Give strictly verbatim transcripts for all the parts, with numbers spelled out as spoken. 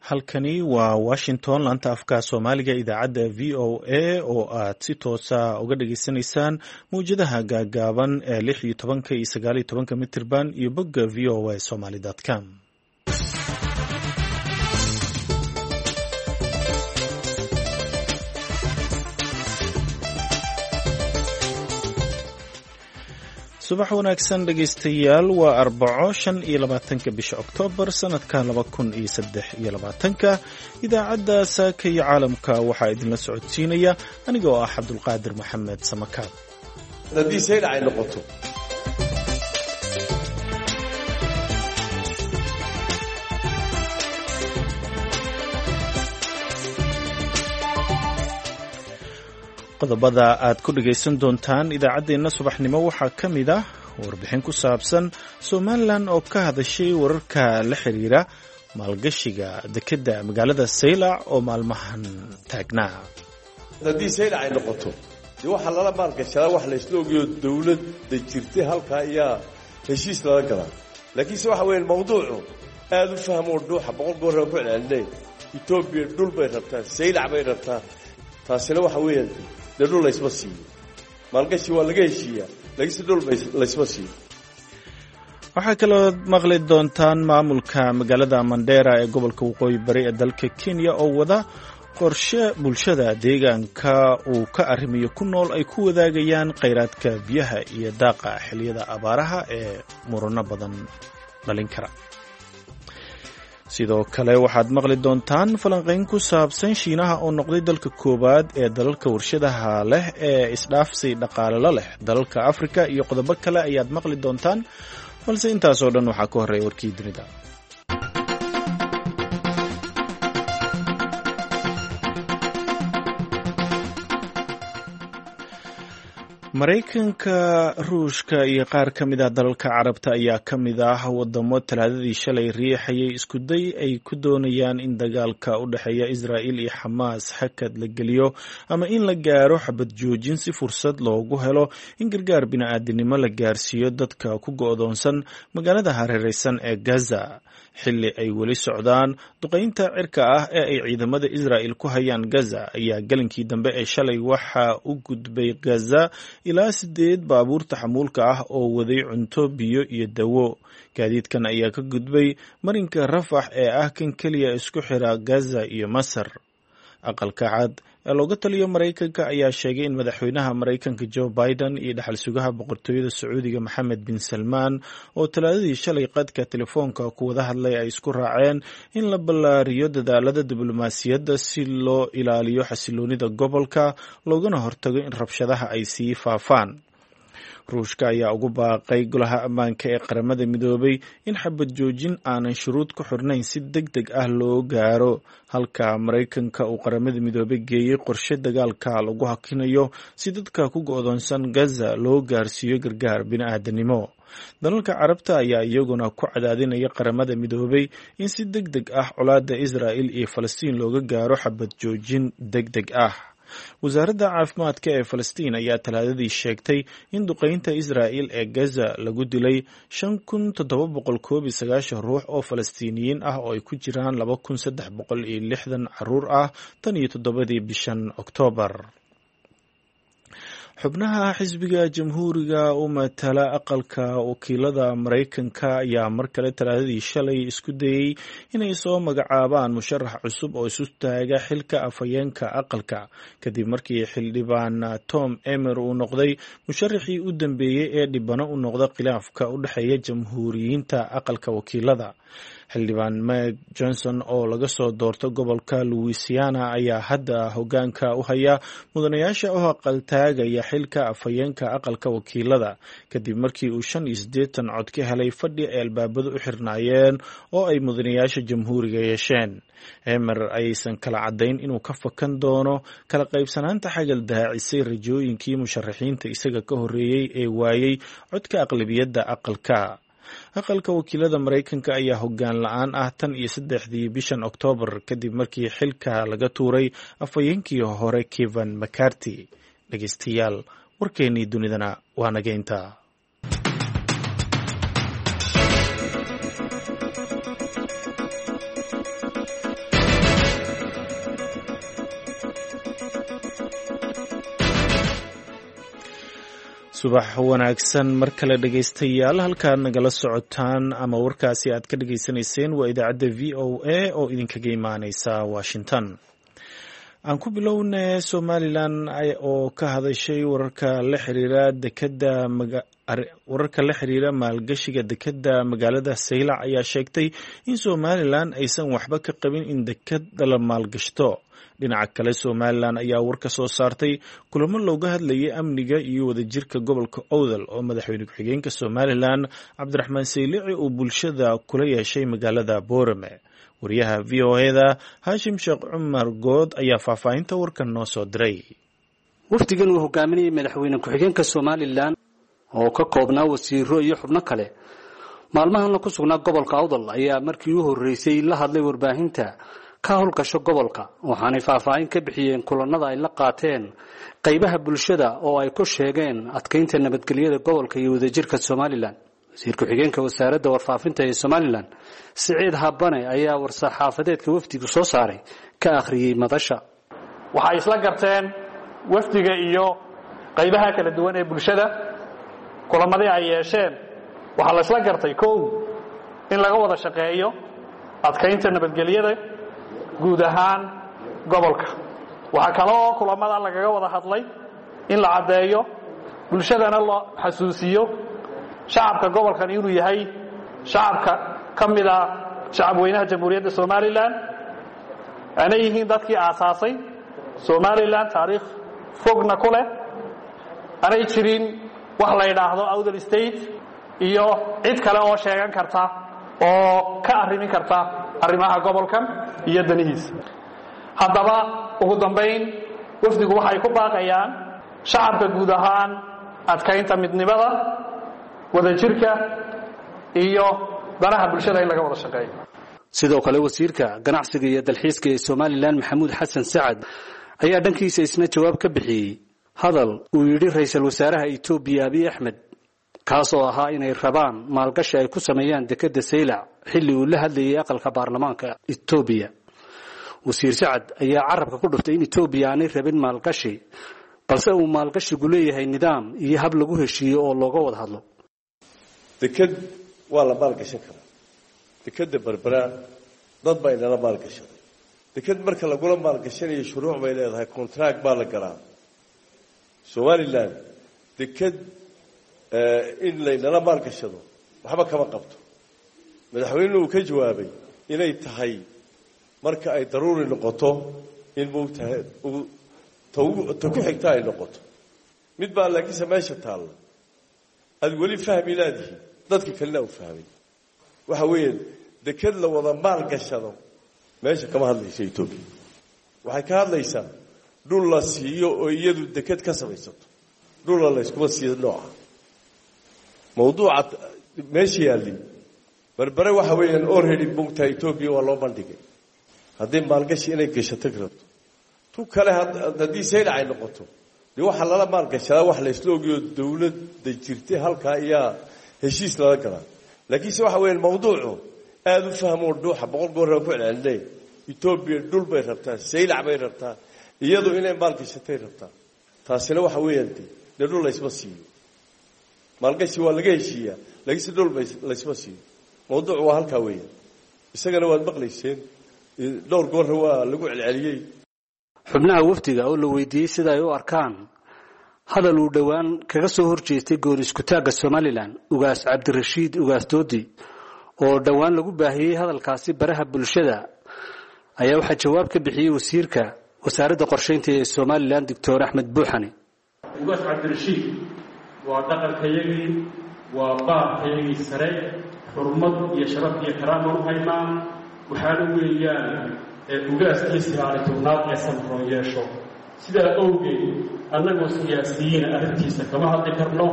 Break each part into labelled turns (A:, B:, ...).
A: Halkani waa Washington, laanta afka Soomaaliga, idaacadda V O A oo aad si toosa uga dhageysanaysaan mawjadaha gaagaaban ee lix iyo tobanka iyo sagaal iyo tobanka mitirban iyo bogga V O A somaly com. Subax wanaagsan dhegaystayaal, waa Arbaco, shan iyo labaatanka bisha Oktoobar sanadka laba kun iyo saddex iyo labaatanka. Idaacadda Saaka iyo Caalamka waxaa idinla socodsiinaya aniga oo ah Cabdulqaadir Maxamed Samakaab.
B: Haddii saydac ay noqoto,
A: Qodobada aad ku dhagaysan doontaan idaacaddeenna subaxnimo waxaa ka mid ah warbixin ku saabsan Somalilan oo ka hadashay wararka la xiriira maalgashiga dekedda magaalada Saylac oo maalmahan taagnaa.
B: Haddii saydac ay noqoto, dee waxaa lala maalgashadaa wax laysla ogayo, dowladda jirtay halkaa ayaa heshiis lala galaa. Laakiinse waxa weeye mawduucu aada u fahmoo dhuuxa boqol goor ku celcelinay, Etoobiya dhul bay rabtaa, Saylac bay rabtaa. Taasina waxa weeyaan dee dhul laysma siiyo, maalgashi waa laga heshiiyaa, laakiinse dhul laysma siiyo.
A: Waxaa kaloo maqli doontaan maamulka magaalada Mandera ee gobolka Waqooyi Bari ee dalka Kenya oo wada qorshe bulshada deegaanka uu ka arrimayo ku nool ay ku wadaagayaan kheyraadka biyaha iyo daaqa xilliyada abaaraha ee murano badan dhalin kara. Sidoo kale waxaad maqli doontaan falanqayn ku saabsan Shiinaha oo noqday dalka koowaad ee dalalka warshadaha leh ee isdhaafsi dhaqaalelo leh dalalka Afrika, iyo qodobo kale ayaad maqli doontaan, balse intaasoo dhan waxaa ka horreeya warkii dunida. Maraykanka, Ruushka iyo qaar ka mid ah dalalka Carabta ayaa ka mid ah wadamo Talaadadii shalay riixayay iskuday ay ku doonayaan in dagaalka u dhexeeya Israa'il iyo Xamaas hakad la geliyo ama in la gaaro xabad joojin, si fursad loogu helo in gargaar bini'aadinimo la gaarsiiyo dadka ku go'doonsan magaalada hareereysan ee Gaza, xilli ay weli socdaan duqeynta cirka ah ee ay ciidamada Israa'il ku hayaan Gaza. Ayaa galinkii dambe ee shalay waxaa u gudbay Gaza ilaa sideed baabuurta xamuulka ah oo waday cunto, biyo iyo dawo. Gaadiidkan ayaa ka gudbay marinka Rafax ee ah kan keliya isku xira Gaza iyo Masar. Aqalka Cad ee looga taliyo Maraykanka ayaa sheegay in madaxweynaha Maraykanka Joe Biden iyo dhaxal sugaha boqortooyada Sacuudiga Maxamed bin Salmaan oo Talaadadii shalay qadka telefoonka ku wada hadlay ay isku raaceen in la ballaariyo dadaalada diblomaasiyadda si loo ilaaliyo xasiloonida gobolka loogana hortago in rabshadaha ay sii faafaan. Ruushka ayaa ugu baaqay Golaha Ammaanka ee Qaramada Midoobay in xabad joojin aanan shuruud ku xirnayn si deg deg ah loo gaaro, halka Maraykanka uu Qaramada Midoobay geeyey qorshe dagaalka lagu hakinayo si dadka ku go'doonsan Gaza loo gaarsiiyo gargaar bini'aadanimo. Dalalka Carabta ayaa iyaguna ku cadaadinaya Qaramada Midoobay in si deg deg ah colaadda Israa'il iyo Falastiin looga gaaro xabad joojin deg deg ah. Wasaaradda caafimaadka ee Falastiin ayaa Talaadadii sheegtay in duqeynta Israa'il ee Gaza lagu dilay shan kun toddoba boqol koob iyo sagaashan ruux oo Falastiiniyiin ah, oo ay ku jiraan laba kun saddex boqol iyo lixdan caruur ah, tan iyo toddobadii bishan Oktoobar. Xubnaha xisbiga Jamhuuriga u matala aqalka wakiilada Maraykanka ayaa mar kale Talaadadii shalay isku dayey inay soo magacaabaan musharax cusub oo isu taaga xilka afhayeenka aqalka, kadib markii xildhibaan Tom Emer uu noqday musharaxii u dambeeyey ee dhibano u noqda khilaafka u dhexeeya Jamhuuriyiinta aqalka wakiilada. Xildhibaan Meg Johnson oo laga soo doorto gobolka Louisiana ayaa hadda hogaanka u haya mudanayaasha u aqaltaagaya xilka afhayeenka aqalka wakiilada, kadib markii uu shan iyo siddeetan cod ka helay fadhi ay albaabadu u xirnaayeen oo ay mudanayaasha Jamhuuriga yeesheen. Emer ayaysan kala caddayn inuu ka fakan doono kala qaybsanaanta xagal daacisay rajooyinkii musharaxiinta isaga ka horreeyey ee waayey codka aqlabiyadda aqalka. Aqalka wakiilada Maraykanka ayaa hoggaan la-aan ah tan iyo saddexdii bishan Oktoobar, kadib markii xilka laga tuuray afhayeenkii hore Kevin McCarty. Dhegeystayaal, warkeennii dunidana waa nageynta. Subax wanaagsan mar kale dhegaystayaal, halkaad nagala socotaan ama warkaasi aad ka dhegaysanayseen waa idaacadda V O A oo idinkaga imaaneysa Washington. Aan ku bilowne Somalilan oo ka hadashay wararka la xiriira dekeda, wararka la xiriira maalgashiga dekeda magaalada Saylac ayaa sheegtay in Somalilan aysan waxba ka qabin in dekeda la maalgashto. Dhinaca kale, Somalilan ayaa war ka soo saartay kulamo looga hadlayay amniga iyo wadajirka gobolka Owdal oo madaxweyne ku-xigeenka Somalilan Cabdiraxmaan Saylici uu bulshada kula yeeshay magaalada Boorame. Wariyaha V O E-da Haashim Sheekh Cumar Good ayaa faahfaahinta warkan noo soo diray.
C: Wafdigan uu hogaaminayay madaxweyne ku-xigeenka Somalilan oo ka koobnaa wasiiro iyo xubno kale maalmahanna ku sugnaa gobolka Awdal ayaa markii u horreysay la hadlay warbaahinta ka howlgasho gobolka, waxaanay faahfaahin ka bixiyeen kulanada ay la qaateen qaybaha bulshada oo ay ku sheegeen adkeynta nabadgelyada gobolka iyo wadajirka Somalilan. Wasiir ku-xigeenka wasaaradda warfaafinta ee Somalilan Siciid Habane ayaa war-saxaafadeedka wafdigu soo saaray ka akhriyey madasha.
D: Waxay isla garteen wafdiga iyo qaybaha kala duwan ee bulshada kulamadii ay yeesheen. Waxaa la isla gartay kow in laga wada shaqeeyo adkeynta nabadgelyada guud ahaan gobolka. Waxaa kale oo kulamada lagaga wada hadlay in la caddeeyo bulshadana loo xasuusiyo shacabka gobolkan inuu yahay shacabka ka mid a shacabweynaha Jamhuuriyadda Somalilan, aanay yihiin dadkii aasaasay Somalilan, taariikh fogna ku leh, aanay jirin wax la yidhaahdo Awdal State iyo cid kale oo sheegan karta oo ka arrimin karta arrimaha gobolkan iyo danihiisa. Haddaba ugu dambayn wafdigu waxay ku baaqayaan shacabka guud ahaan adkaynta midnimada, wadajirka iyo danaha bulshada in laga wada shaqeeyo.
C: Sidoo kale wasiirka ganacsiga iyo dalxiiska ee Somalilan Maxamuud Xasan Sacad ayaa dhankiisa isna jawaab ka bixiyey hadal uu yidhi ra'iisul wasaaraha Itoobiya Abiy Axmed, kaas oo ahaa inay rabaan maalgashi ay ku sameeyaan dekeda Saylac xilli uu la hadlayay aqalka baarlamaanka Itoobiya. Wasiir Sacad ayaa carabka ku dhuftay in Itoobiya aanay rabin maalgashi, balse uu maalgashigu leeyahay nidaam iyo hab lagu heshiiyo oo looga wada hadlo.
B: Deked waa la maalgashan karaa. Dekeda Berbera dad baa inala maalgashaday. Deked marka lagula maalgashanayo shuruuc bay leedahay, contract baa la galaa. Somalilan deked in laynala maalgashado waxba kama qabto. Madaxweynuhu uu ka jawaabay inay tahay marka ay daruuri noqoto in moogtahay ta ku xigta ay noqoto. Mid baa laakiinse meesha taalla aad weli fahmi laadihi, dadka kalena u fahmay. Waxa weeye deked la wada maalgashado meesha kama hadlayso Etoobiya. Waxay ka hadlaysaa dhul la siiyo oo iyadu deked ka samaysato, dhula la yskuma siiyo nooca mawduuca meesha yaalli. Berbere waxa weeyaan already moogtahay Etoobiya waa loo bandhigay haddii maalgashi inay gashato rabto. Tu kale haddii Saylac ay noqoto, dee waxaa lala maalgashadaa wax la isla ogiyo dowladda jirtay halkaa ayaa heshiis lala galaa. Laakiinse waxa weeyaan mawduucu aada u fahmoo dhuuxa boqol goor ku celcelinay. Etoobiya dhul bay rabtaa, Saylac bay rabtaa, iyadu inay maalgashatay rabtaa. Taasina waxa weeyaan de dee dhul laysma siiyo. Maalgashi waa laga heshiiyaa, laakiinse dhul laysma siiyo. Mawduucu waa halkaa weeyaan, isagana waad maqlayseen, dhowr goorna waa lagu celceliyey.
C: Xubnaha wafdiga oo la weydiiyey sida ay u arkaan hadal uu dhowaan kaga soo horjeestay gooni iskutaagga Somalilan Ugaas Cabdirashiid Ugaas Doodi oo dhowaan lagu baahiyey hadalkaasi baraha bulshada, ayaa waxaa jawaab ka bixiyey wasiirka wasaaradda qorsheynta ee Somalilan Doctor Axmed Buuxane.
E: Ugaas Cabdirashiid waa dhaqankayagii, waa baarkayagii sare, xurmad iyo sharaf iyo karaama u haynaa. Waxaana weeyaan ugaaskii sagaali tobnaad ee samroon yeesho. Sidaa awgeed annagoo siyaasiyiina arrintiisa kama hadli karno.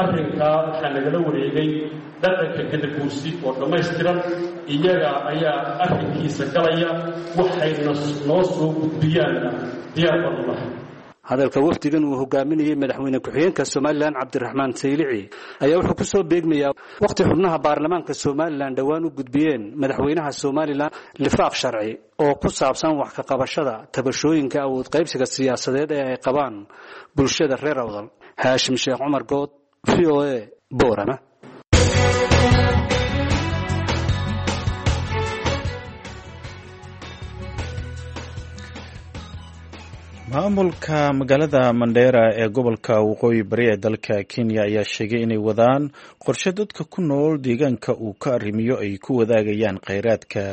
E: Arrinkaa waxaa nagala wareegay dhaqanka gadaguursi oo dhammaystiran, iyaga ayaa arrinkiisa galaya, waxayna noo soo gudbiyaanna diyaar baan u nahay.
C: Hadalka wafdigan uu hogaaminayay madaxweyne ku-xigeenka Somalilan Cabdiraxmaan Saylici ayaa wuxuu ku soo beegmayaa wakhti xubnaha baarlamaanka Somalilan dhowaan u gudbiyeen madaxweynaha Somalilan lifaaq sharci oo ku saabsan wax ka qabashada tabashooyinka awood qaybsiga siyaasadeed ee ay qabaan bulshada reer Awdal. Haashim Sheekh Cumar Good, V O A, Boorama.
A: Maamulka magaalada Mandheera ee gobolka waqooyi bari ee dalka Kenya ayaa sheegay inay wadaan qorshe dadka ku nool deegaanka uu ka arrimiyo ay ku wadaagayaan kheyraadka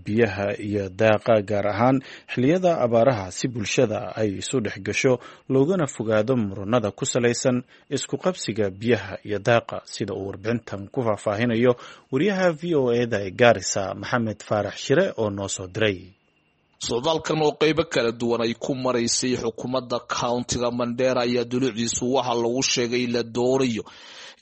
A: biyaha iyo daaqa, gaar ahaan xilliyada abaaraha, si bulshada ay isu dhex gasho loogana fogaado muranada ku salaysan isku qabsiga biyaha iyo daaqa, sida uu warbixintan ku faahfaahinayo wariyaha V O E-da ee Gaarisa, Maxamed Faarax Shire oo noo soo diray.
F: Socdaalkan oo qeybo kala duwan ay ku maraysay xukuumadda countiga Mandheera ayaa dulucdiisu waxaa lagu sheegay la doonayo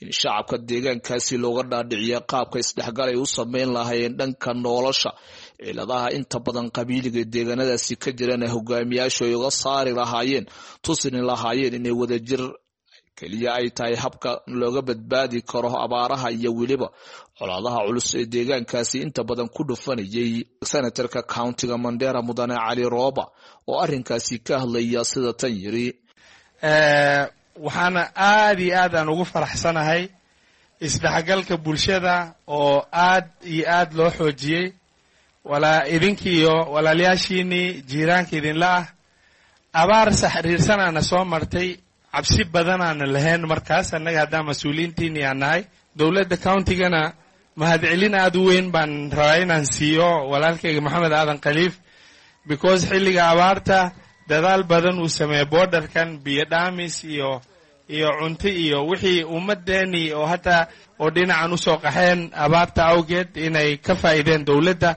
F: in shacabka deegaankaasi looga dhaadhiciya qaabka isdhexgal ay u sameyn lahaayeen dhanka nolosha, ciladaha inta badan qabiiliga deegaanadaasi ka jirana hogaamiyaashu ay uga saari lahaayeen, tusini lahaayeen inay wadajir keliya ay tahay habka looga badbaadi karo abaaraha iyo weliba colaadaha culus ee deegaankaasi inta badan ku dhufanayay. Senatarka countiga Mandheera mudane Cali Rooba oo arrinkaasi ka hadlaya sida tan yiri:
G: Waxaana aad iyo aad aan ugu faraxsanahay isdhexgalka bulshada oo aad iyo aad loo xoojiyey, walaa idinkiiyo walaalayaashiinii jiiraanka idinla ah. Abaar saxriirsanaana soo martay, cabsi badanaana lahayn markaas annaga haddaan mas-uuliyiintiinii aan nahay. Dowladda countigana mahadcelin aad u weyn baan rabaa inaan siiyo walaalkayga Maxamed Aadan Khaliif, because xilliga abaarta dadaal badan uu sameeyey, borderkan biyo dhaamis iyo iyo cunto iyo wixii ummadeenii oo hataa oo dhinacan usoo qaxeen abaarta awgeed inay ka faa'iideen dowladda.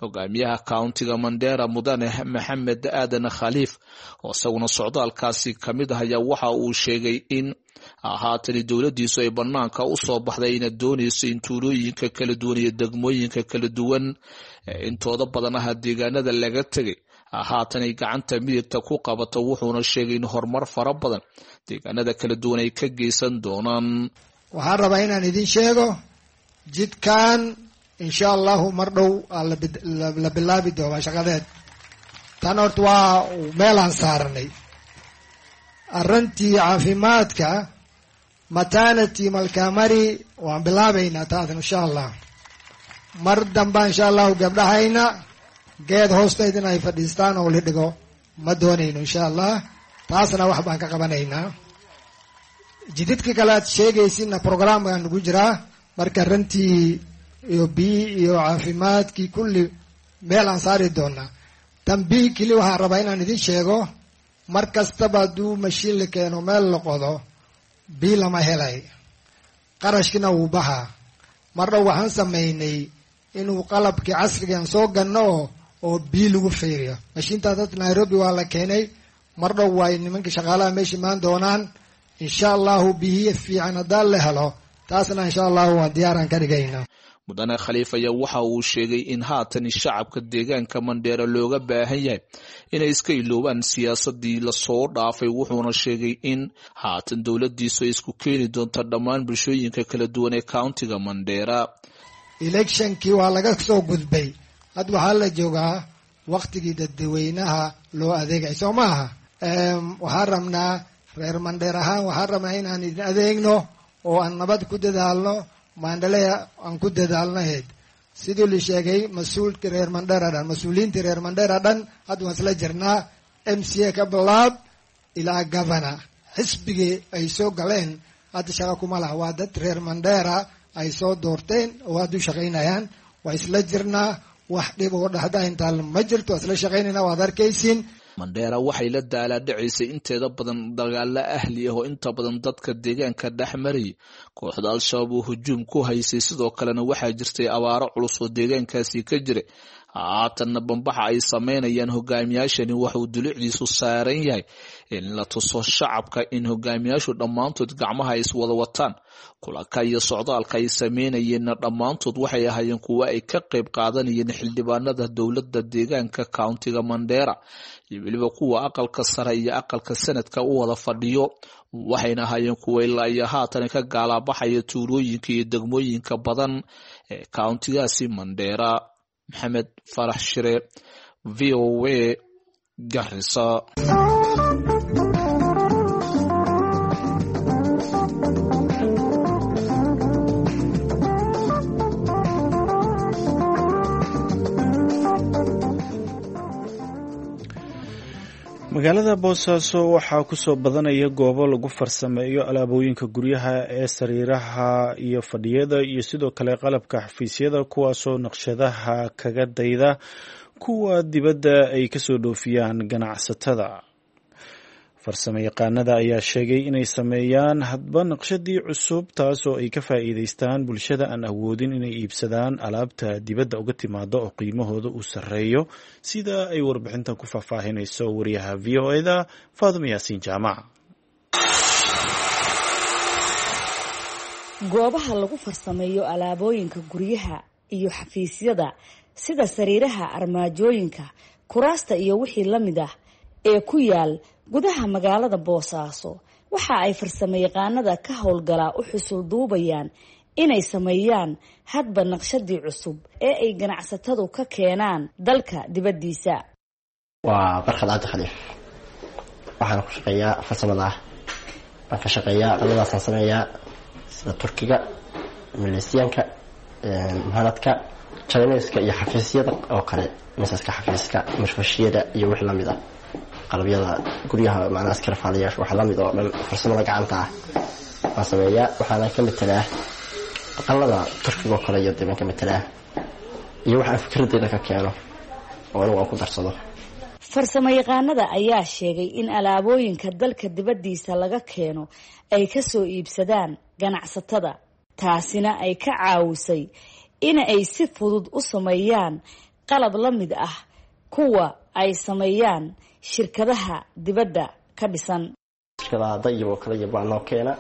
F: Hogaamiyaha countiga Mandheera mudane Maxamed Aadan Khaliif oo isaguna socdaalkaasi ka mid ah ayaa waxa uu sheegay in haatani dowladdiisu ay banaanka u soo baxday ina doonayso in tuulooyinka kala duwan iyo degmooyinka kala duwan intooda badan aha deegaanada laga tegay haatan ay gacanta midigta ku qabato. Wuxuuna sheegay in horumar fara badan deegaanada kala duwan ay ka geysan doonaan.
H: Waxaan rabaa inaan idin sheego jidkan insha allahu mar dhow la bilaabi doonaa shaqadeed. Tan horta waa meelaan saaranay. Arrintii caafimaadka maternity Malkamari waan bilaabaynaa taas insha allah. Mar damba insha allahu gabdhahayna geed hoosteyd in ay fadhiistaan oo la dhigo ma doonayno insha allah, taasna wax baan ka qabanaynaa. Jididka kale aad sheegaysinna programkaan ugu jiraa. Marka arrintii iyo biyi iyo caafimaadkii kulli meel aan saari doonaa. Tan biyi keli waxaan rabaa inaan idin sheego, mar kastaba hadduu mashiin la keeno meel la qodo biyi lama helay, qarashkina wuu baxaa. Mar dhow waxaan samaynay inuu qalabkii casrigan soo ganno oo oo biyi lagu fiiriyo. Mashiintaas dad Nairobi waa la keenay, mar dhow waay nimankii shaqaalaha meesha imaan doonaan insha allahu. Biyihi fiican haddaan la helo taasna insha allahu waan diyaaraan ka dhigaynaa.
F: Mudane Khaliif ayaa waxa uu sheegay in haatan shacabka deegaanka Mandheera looga baahan yahay inay iska iloobaan siyaasadii lasoo dhaafay. Wuxuuna sheegay in haatan dowladdiisu ay isku keeni doonto dhammaan bulshooyinka kala duwan ee countiga Mandheera.
H: Electionkii waa laga soo gudbay, hadda waxaa la joogaa waktigii dadweynaha loo adeegay, soo maaha? Waxaan rabnaa reer Mandheer ahaan, waxaan rabnaa inaan idin adeegno oo aan nabad ku dadaalno, maandhalea aan ku dadaalnaheed. Sidii la sheegay mas-uulkii reer Mandheera dhan, mas-uuliyiintii reer Mandheera dhan hadda waan isla jirnaa, M C A ka bilaab ilaa governor. Xisbigii ay soo galeen hadda shaqa kuma laha, waa dad reer Mandheera ay soo doorteen oo hadda u shaqaynayaan. Waa isla jirnaa, wax dhib oo dhexda intaan ma jirto, waa isla shaqaynayna, waad arkaysiin.
F: Mandheera waxay la daalaadhacaysay inteeda badan dagaalo ahli ah oo inta badan dadka deegaanka dhex marayay, kooxda Al-Shabaab oo hujuum ku haysay. Sidoo kalena waxaa jirtay abaaro culus oo deegaankaasi ka jiray. Haatanna bambaxa ay sameynayaan hogaamiyaashani waxauu dulucdiisu saaran yahay in la tuso shacabka in hogaamiyaashu dhammaantood gacmaha ay iswada wataan. Kulanka iyo socdaalka ay sameynayeenna dhammaantood waxay ahaayeen kuwo ay ka qayb qaadanayeen xildhibaanada dowladda deegaanka countiga Mandera iyo weliba kuwa aqalka sare iyo aqalka sanadka u wada fadhiyo. Waxayna ahaayeen kuwa ilaa iyo haatan ka gaalaabaxaya tuulooyinka iyo degmooyinka badan ee countigaasi Mandera. Maxamed Farax Shire, V O A, Garissa.
A: Magaalada Boosaaso waxaa kusoo badanaya goobo lagu farsameeyo alaabooyinka guryaha ee sariiraha iyo fadhiyada iyo sidoo kale qalabka xafiisyada, kuwaasoo naqshadaha kaga dayda kuwa dibadda ay kasoo dhoofiyaan ganacsatada. Farsamo yaqaanada ayaa sheegay inay sameeyaan hadba naqshadii cusub, taasoo ay ka faa'iidaystaan bulshada aan awoodin inay iibsadaan alaabta dibadda uga timaada oo qiimahooda uu sarreeyo, sida ay warbixintan ku faahfaahinayso wariyaha V O E-da Faadimo Yaasiin Jaamac.
I: Goobaha lagu farsameeyo alaabooyinka guryaha iyo xafiisyada sida sariiraha, armaajooyinka, kuraasta iyo wixii la mid ah ee ku yaal gudaha magaalada Boosaaso waxa ay farsamayaqaanada ka howlgalaa u xusul duubayaan inay sameeyaan hadba naqshadii cusub ee ay ganacsatadu ka keenaan dalka dibaddiisa.
J: Waa Barkhad Cabdi Khaliif, waxaan ku shaqeeyaa farsamada ah, waan ka shaqeeyaa qaladaasaan sameeyaa sida Turkiga, Maleesiyaanka, muhanadka, Chineska iyo xafiisyada oo kale, miisaska xafiiska, mashfashiyada iyo wix lamid ah, qalabyada guryaha, macnaha askarfaalayaasha waxa lamid oo dhan farsamada gacanta ah waan sameeyaa. Waxaana ka matelaa aqalada Turkiga oo kale iyo dibaan ka matelaa iyo waxaan fikradeyda ka keeno oo anigu aan ku darsado.
I: Farsamo yaqaanada ayaa sheegay in alaabooyinka dalka dibaddiisa laga keeno ay kasoo iibsadaan ganacsatada, taasina ay ka caawisay in ay si fudud u sameeyaan qalab la mid ah kuwa ay sameeyaan shirkadaha dibadda ka dhisan.
J: Shirkadaha dayib oo kale iyo baa noo keena,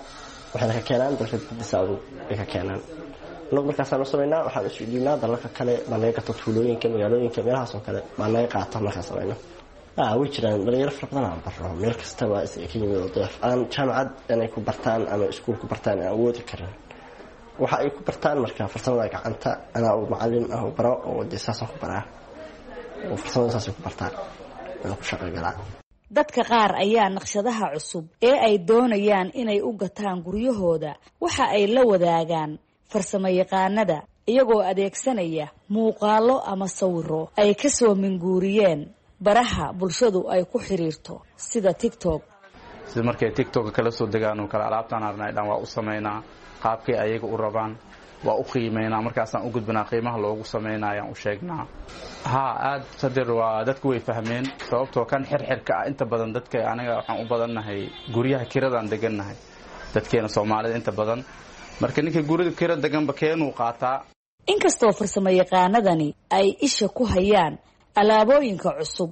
J: waxayna ka keenaan dalka dibadiisa, adugu bay ka keenaan. Anagu markaasaan u samaynaa, waxaan isu dhiibnaa dalalka kale baa naga gato, tuulooyinka, magaalooyinka, meelahaas oo kale baa naga qaata markaan samayno. Way jiraan dhalinyaro fara badan aan barno, meel kasta waa is ka yimid oo deef aan jaamacad inay ku bartaan ama iskuul ku bartaan aan awoodi karin. Waxa ay ku bartaan marka farsamada gacanta, anaa u macalin ah oo baro oo dee saasaan ku baraa oo farsamada saasay ku bartaan aan ku shaqo galaa.
I: Dadka qaar ayaa naqshadaha cusub ee ay doonayaan inay u gataan guryahooda waxa ay la wadaagaan farsamo yaqaanada, iyagoo adeegsanaya muuqaallo ama sawiro ay kasoo minguuriyeen baraha bulshadu ay ku xiriirto sida TikTok.
G: Sida markay TikTok kala soo degaan oo kale, alaabtaan arnay dhan waa u samaynaa qaabkay ayaga u rabaan, waa u qiimeynaa, markaasaan u gudbinaa qiimaha loogu sameynayaan u sheegnaa. Haa, aad sadir waa dadku way fahmeen, sababtoo kan xirxirka ah inta badan dadka aniga waxaan u badannahay guryaha kiradaan degannahay, dadkeena Soomaalida inta badan, marka ninka guriga kira deganba keenuu qaataa.
I: Inkastoo farsamo yaqaanadani ay isha ku hayaan alaabooyinka cusub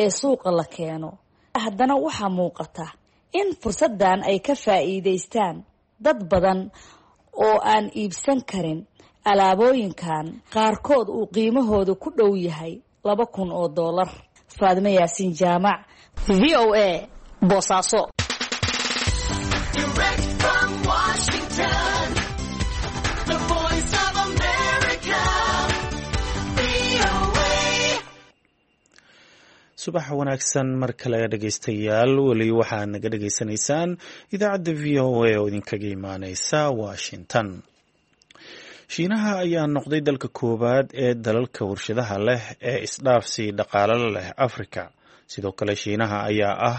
I: ee suuqa la keeno, haddana waxaa muuqata in fursaddan ay ka faa'iidaystaan dad badan oo aan iibsan karin alaabooyinkan qaarkood uu qiimahooda ku dhow yahay laba kun oo doolar. Faadimo Yaasiin Jaamac, V O A, Boosaaso.
A: Subax wanaagsan mar kale dhegeystayaal, weli waxaad naga dhegeysanaysaan idaacadda V O A oo idinkaga imaaneysa Washington. Shiinaha ayaa noqday dalka koowaad ee dalalka warshadaha leh ee isdhaafsi dhaqaale leh Afrika. Sidoo kale Shiinaha ayaa ah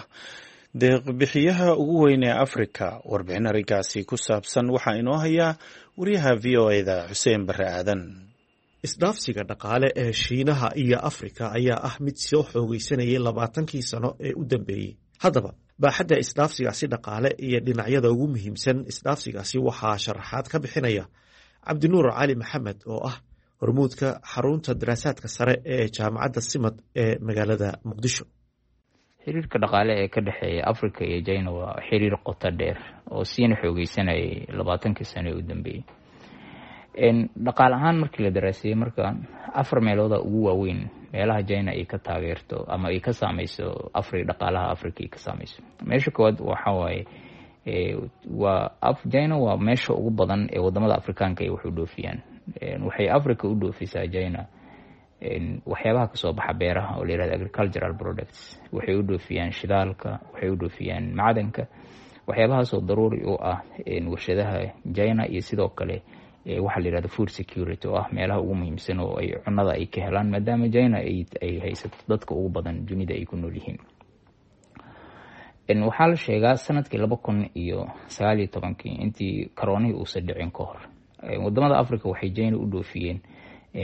A: deeqbixiyaha ugu weyn ee Afrika. Warbixin arrinkaasi ku saabsan waxaa inoo hayaa wariyaha V O E-da Xuseen Barre Aadan.
K: Isdhaafsiga dhaqaale ee Shiinaha iyo Afrika ayaa ah mid soo xoogaysanayay labaatankii sano ee u dambeeyey. Haddaba baaxadda isdhaafsigaasi dhaqaale iyo dhinacyada ugu muhiimsan isdhaafsigaasi waxaa sharaxaad ka bixinaya Cabdinuur Cali Maxamed oo ah hormuudka xarunta daraasaadka sare ee jaamacadda Simad ee magaalada Muqdisho.
L: Xiriirka dhaqaale ee ka dhexeeya Africa iyo China waa xiriir qoto dheer oo siina xoogeysanayay labaatankii sano ee u dambeeyey. Dhaqaale ahaan markii la daraaseeyey, marka afar meelooda ugu waaweyn meelaha China ay ka taageerto ama ay ka saameyso afri dhaqaalaha Africa ay ka saameyso. Meesha koowaad waxa waaye waa China waa meesha ugu badan ee wadamada Afrikaanka ay wax u dhoofiyaan. Waxay Africa u dhoofisaa China waxyaabaha kasoo baxa beeraha oo la yihahdo agricultural products, waxay u dhoofiyaan shidaalka, waxay u dhoofiyaan macdanka, waxyaabahaasoo daruuri u ah warshadaha China, iyo sidoo kale waxaa la yihahdo food security oo ah meelaha ugu muhiimsan oo ay cunada ay ka helaan, maadaama China ay haysato dadka ugu badan dunida ay ku nool yihiin. Waxaa la sheegaa sanadkii laba kun iyo sagaal iyo tobankii, intii karoonihii uusan dhicin ka hor, wadamada Africa waxay China u dhoofiyeen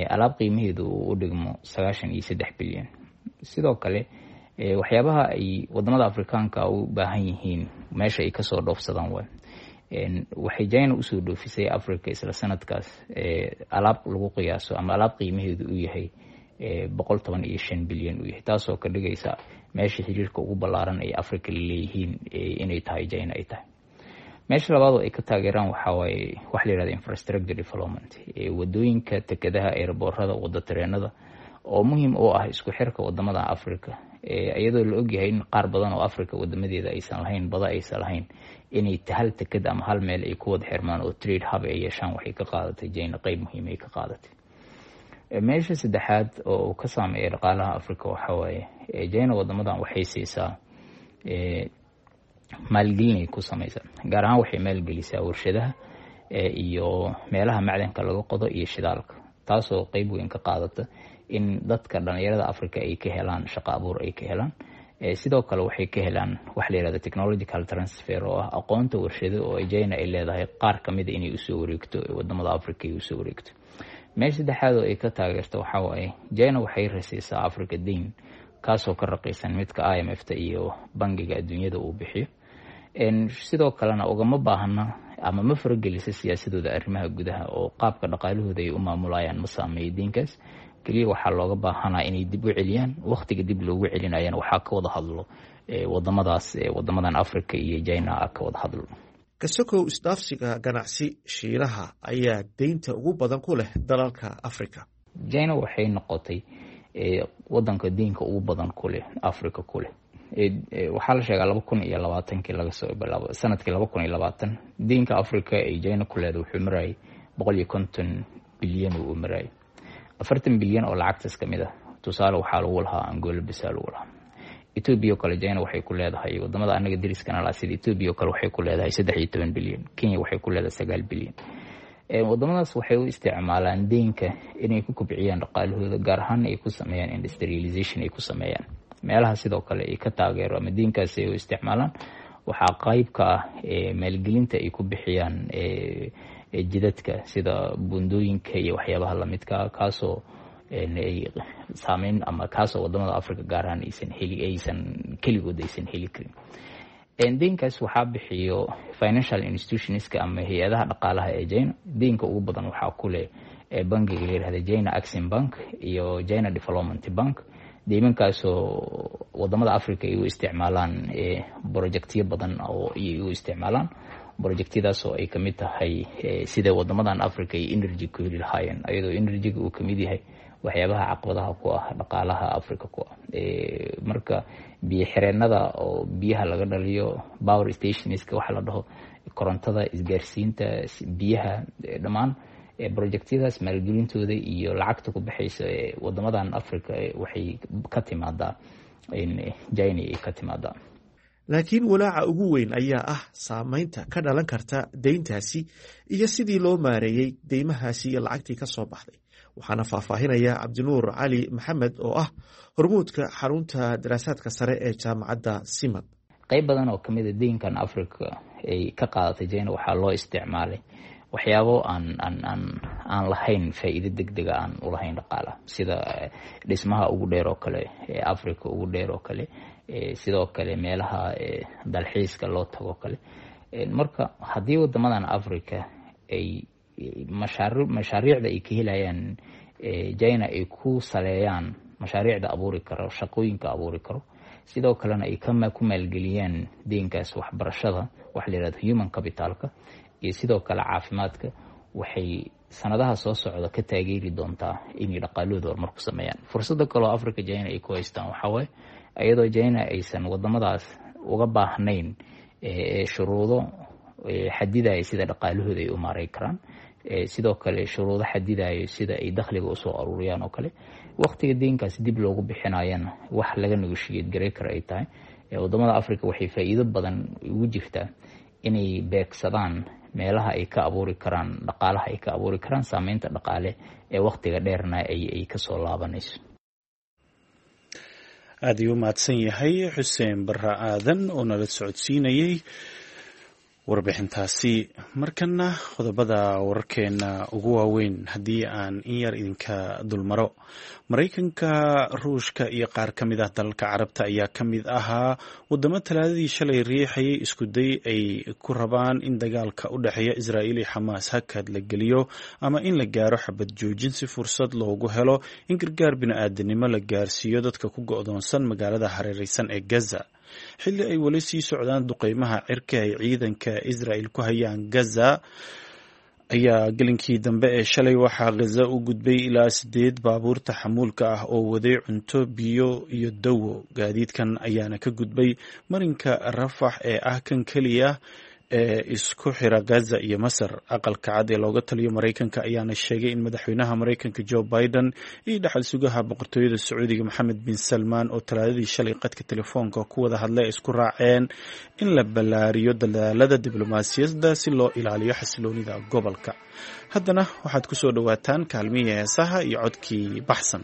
L: alaab qiimaheedu uu u dhigmo sagaashan iyo saddex bilyan. Sidoo kale waxyaabaha ay wadamada Afrikaanka u baahan yihiin meesha ay kasoo dhoofsadaan waay. Waxay China usoo dhoofisay Africa isla sanadkaas alaab lagu qiyaaso ama alaab qiimaheedu uu yahay boqol toban iyo shan bilyan uu yahay, taasoo ka dhigaysa meesha xiriirka ugu ballaaran ay Africa laleeyihiin inay tahay China ay tahay. Meesha labaad oo ay ka taageeraan waxaa waaye waxa la yihahda infrastructure development, wadooyinka, tekadaha, airboorada, wada tareenada oo muhiim u ah isku xirka wadamada Africa, iyadoo la ogyahay in qaar badan oo Africa wadamadeeda aysan lahayn bada, aysan lahayn inay hal tekad ama hal meel ay ku wada xirmaan oo trade hub ay yeeshaan. Waxay ka qaadatay China qeyb muhiim ay ka qaadatay. Meesha saddexaad oo uu ka saameeya dhaqaalaha Africa waxa waaye China wadamadan waxay siisaa maalgelinay ku sameysaa, gaar ahaan waxay maalgelisaa warshadaha iyo meelaha macdanka laga qodo iyo shidaalka, taasoo qeyb weyn ka qaadata in dadka dhalinyarada Africa ay ka helaan shaqo abuur ay ka helaan. Sidoo kale waxay ka helaan waxa la yihahda technological transfer oo ah aqoonta warshado oo China ay leedahay qaar kamida inay usoo wareegto wadamada Africa ay usoo wareegto. Meesha saddexaad oo ay ka taageerto waxaa waaye China waxay rasiisaa Africa deyn kaasoo ka raqiisan midka I M F ta iyo Bangiga Adduunyada uu bixiyo. Sidoo kalena ugama baahna ama ma faragelisa siyaasadooda arrimaha gudaha oo qaabka dhaqaalahooda ay u maamulayaan ma saameeyo deynkaas. Keliya waxaa looga baahanaa inay dib u celiyaan, waqtiga dib loogu celinayana waxaa ka wada hadlo wadamadaas, wadamadan Africa iyo China ka wada hadlo.
K: Kasokow isdhaafsiga ganacsi, Shiinaha ayaa deynta ugu badan ku leh dalalka Africa.
L: China waxay noqotay wadanka deynka ugu badan ku leh Africa ku leh. Waxaa la sheegaa laba kun iyo labaatankii laga soo bilaabo sanadkii laba kun iyo labaatan, deynka Africa ay China ku leedahay wuxuu marayay boqol iyo konton bilyan uu marayay. Afartan bilyan oo lacagtaas kamid ah tusaale waxaa lagu lahaa Angola bisa lagu lahaa. Ethiopia oo kale China waxay ku leedahay, wadamada anaga dariskana laha sida Ethiopia oo kale waxay ku leedahay saddex iyo toban bilyan, Kenya waxay ku leedahay sagaal bilyan. Wadamadaas waxay u isticmaalaan deynka inay ku kobciyaan dhaqaalahooda, gaar ahaan ay ku sameeyaan industrialization ay ku sameeyaan meelaha. Sidoo kale ay ka taageero ama deynkaasi ay u isticmaalaan waxaa qayb ka ah maalgelinta ay ku bixiyaan jidadka sida buundooyinka iyo waxyaabaha lamidka, kaasoo ay saameyn ama kaasoo wadamada Africa gaar ahaan aysan heli, aysan keligood aysan heli karin. Deynkaas waxaa bixiyo financial institutionska ama hay-adaha dhaqaalaha ee China. Deynka ugu badan waxaa ku leh bangiga la yihahda China Exim Bank iyo China Development Bank, deymankaasoo wadamada Africa ay u isticmaalaan projectyo badan oo ay u isticmaalaan, projectyadaas oo ay kamid tahay sida wadamadan Africa ay energy ku heli lahaayeen, ayadoo energyga uu kamid yahay waxyaabaha caqabadaha ku ah dhaqaalaha Africa ku ah. Marka biyo xireenada oo biyaha laga dhaliyo, power stationska waxa la dhaho, korontada, isgaarsiinta, biyaha, dhammaan projectyadaas maalgelintooda iyo lacagta ku baxaysa wadamadan Africa waxay ka timaadaa China ay ka timaadaa.
K: Laakiin walaaca ugu weyn ayaa ah saameynta ka dhalan karta deyntaasi iyo sidii loo maareeyey deymahaasi iyo lacagtii ka soo baxday. Waxaana faahfaahinaya Cabdinuur Cali Maxamed oo ah hormuudka xarunta daraasaadka sare ee jaamacadda Simad.
L: Qeyb badan oo kamid a deynkan Africa ay ka qaadatay China waxaa loo isticmaalay waxyaabo aan aan aan aan lahayn faa'iido deg dega aan ulahayn dhaqaalaha, sida dhismaha ugu dheer oo kale ee Africa ugu dheer oo kale, sidoo kale meelaha dalxiiska loo tago kale. Marka haddii wadamadan Africa ay mashaari mashaariicda ay ka helayaan China ay ku saleeyaan mashaariicda abuuri karo, shaqooyinka abuuri karo, sidoo kalena ay ku maalgeliyaan deynkaas waxbarashada, waxa la yihahdo human capitalka, iyo sidoo kale caafimaadka, waxay sanadaha soo socda ka taageeri doontaa inay dhaqaalahooda horumar ku sameeyaan. Fursada kaloo Africa China ay ku haystaan waxaa waaye, iyadoo China aysan wadamadaas uga baahnayn shuruudo xadidaya sida dhaqaalahooda ay u maareyn karaan, sidoo kale shuruudo xadidayo sida ay dakhliga usoo aruuriyaan oo kale, waqtiga deynkaas dib loogu bixinayana wax laga negotiate garay karo ay tahay. Wadamada Africa waxay faa'iido badan ugu jirtaa inay beegsadaan meelaha ay ka abuuri karaan dhaqaalaha, ay ka abuuri karaan saameynta dhaqaale ee waqtiga dheerna ay kasoo laabanayso.
A: Aad ayuu u mahadsan yahay Xuseen Barre Aadan oo nala socodsiinayay warbixintaasi. Markana qodobada wararkeena ugu waaweyn haddii aan in yar idinka dulmaro. Maraykanka, Ruushka iyo qaar ka mid ah dalalka Carabta ayaa ka mid ahaa wadamo Talaadadii shalay riixayay iskuday ay ku rabaan in dagaalka u dhexeeya Israa'iil iyo Xamaas hakad la geliyo ama in la gaaro xabad joojin, si fursad loogu helo in gargaar bini'aadanimo la gaarsiiyo dadka ku go'doonsan magaalada hareereysan ee Gaza, xilli ay weli sii socdaan duqeymaha cirka ay ciidanka Israel ku hayaan Gaza. Ayaa gelinkii dambe ee shalay waxaa Gaza u gudbay ilaa sideed baabuurta xamuulka ah oo waday cunto, biyo iyo dawo. Gaadiidkan ayaana ka gudbay marinka Rafax ee ah kan keliya ee isku xira Gaza iyo Masar. Aqalka Cad ee looga taliyo Maraykanka ayaana sheegay in madaxweynaha Maraykanka Joe Biden iyo dhaxal sugaha boqortooyada Sacuudiga Maxamed bin Salmaan oo Talaadadii shalay qadka telefoonka ku wada hadlay ay isku raaceen in la ballaariyo dadaalada diblomaasiyadda si loo ilaaliyo xasiloonida gobolka. Haddana waxaad ku soo dhowaataan kaalmihii heesaha iyo codkii Baxsan.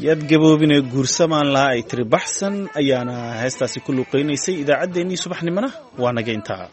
A: Yaad gaboobine guursamaan laha, ay tiri Baxsan, ayaana heestaasi ku luuqeynaysay. Idaacaddeenii subaxnimona waa naga intaa.